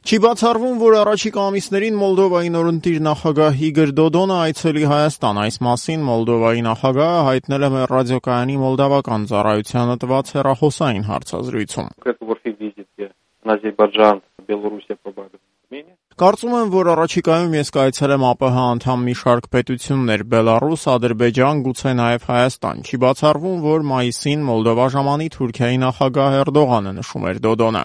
Չի բացառվում, որ առաջիկա ամիսներին Մոլդովայի նորընտիր նախագահ Իգոր Դոդոնը այցելի Հայաստան։ Այս մասին Մոլդովայի նախագահը հայտնել է մեր ռադիոկայանի մոլդավական ծառայությանը տված հեռախոսային հարցազրույցում։ Կարծում եմ, որ առաջիկայում ես կայցելեմ ԱՊՀ անդամ մի շարք պետություններ՝ Բելառուս, Ադրբեջան, գուցե նաև Հայաստան։ Չի բացառվում, որ մայիսին Մոլդովա ժամանի Թուրքիայի նախագահ Էրդողանը, նշում էր Դոդոնը։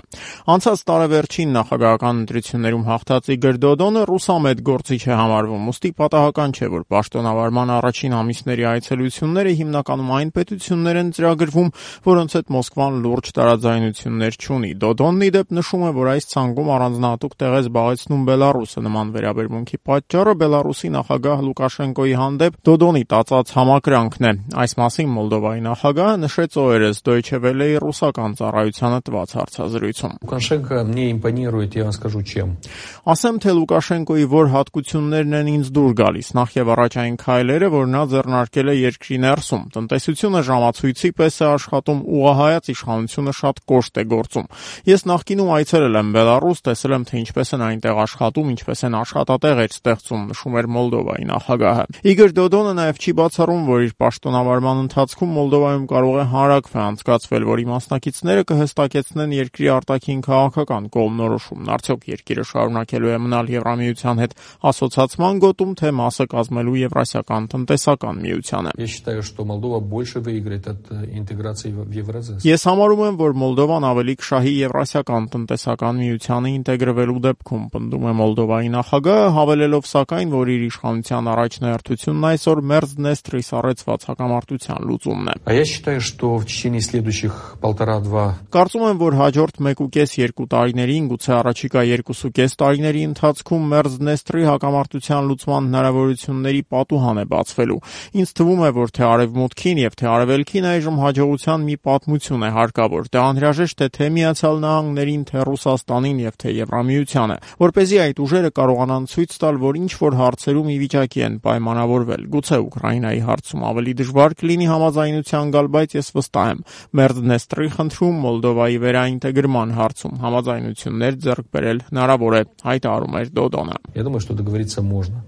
Անցած տարեվերջին նախագահական ընտրություններում հաղթած Իգոր Դոդոնը ռուսամետ գործիչ է համարվում, ուստի պատահական չէ, որ պաշտոնավարման առաջին ամիսների այցելությունները հիմնականում այն պետություններ են ծրագրվում, որոնց հետ Մոսկվան լուրջ տարաձայնություններ չունի։ Դոդոնն ի դեպ նշում է, որ այս ցանկում առանձնահատուկ տեղ է զբաղեցնում Բելառուսը։ Նման վերաբերմունքի պատճառը Բելառուսի նախագահ Լուկաշենկոյի հանդեպ Դոդոնի տածած համակրանքն է։ Այս մասին Մոլդովայի նախագահը նշեց օրերս Deutsche Welle-ի ռուսական ծառայությանը տված հարցազրույցում։ Լուկաշենկո мне импонирует, я вам скажу чем. Ասեմ, թե Լուկաշենկոյի որ հատկություններն են ինձ դուր գալիս։ Նախ եւ առաջ այն քայլերը, որ նա ձեռնարկել է երկրի ներսում։ Տնտեսությունը ժամացույցի պես է աշխատում, ուղղահայաց իշխանությունը շատ կոշտ է գործում։ Ես նախկինում այցելել եմ Բելառուս, տեսել եմ, թե ինչպես են այնտեղ աշխատում, ինչպես են աշխատատեղեր ստեղծում, նշում էր Մոլդովայի նախագահը։ Իգոր Դոդոնը նաև չի բացառում, որ իր պաշտոնավարման ընթացքում Մոլդովայում կարող է հանրաքվե անցկացվել, որի մասնակիցները կհստակեցնեն երկրի արտաքին քաղաքական կողմնորոշումն։ Արդյոք երկիրը շարունակելու է մնալ Եվրամիության հետ ասոցացման գոտում, թե մասը կազմելու Եվրասիական տնտեսական միությանը։ Я считаю, что Молдова больше выиграет от интеграции в Евразес. Ես համարում եմ, որ Մոլդովան ավելի կշահի Եվրասիական տնտեսական միությանը ինտեգրվելու դեպքում, պնդում է Մոլդովայի նախագահը, հավելելով սակայն, որ իր իշխանության առաջնահերթությունն այսօր Մերձդնեստրի սառեցված հակամարտության լուծումն է։ А я считаю, что в течение следующих 1,5-2 Կարծում եմ, որ հաջորդ 1.5-2 տարիներին, գուցե առաջիկա 2.5 տարիների ընթացքում Մերձդնեստրի հակամարտության լուծման հնարավորությունների պատուհան է բացվելու։ Ինձ թվում է, որ թե արևմուտքին եւ թե արևելքին այժմ հաջողության մի պատմություն է հարկավոր։ Դա անհրաժեշտ է թե Միացյալ Նահանգներին, թե Ռուսաստանին եւ թե Եվրամիությանը, որպեսզի այդ ուժերը կարողանան ցույց տալ, որ ինչ որ հարցերում ի վիճակի են պայմանավորվել։ Գուցե Ուկրաինայի հարցում ավելի դժվար կլինի համաձայնության գալ, բայց ես վստահ եմ, Մերձդնեստրի խնդրում Մոլդովայի վերաինտեգրման հարցում համաձայնություններ ձեռք բերել հնարավոր է, հայտարարում էր Դոդոնը։ Я думаю, что договориться можно.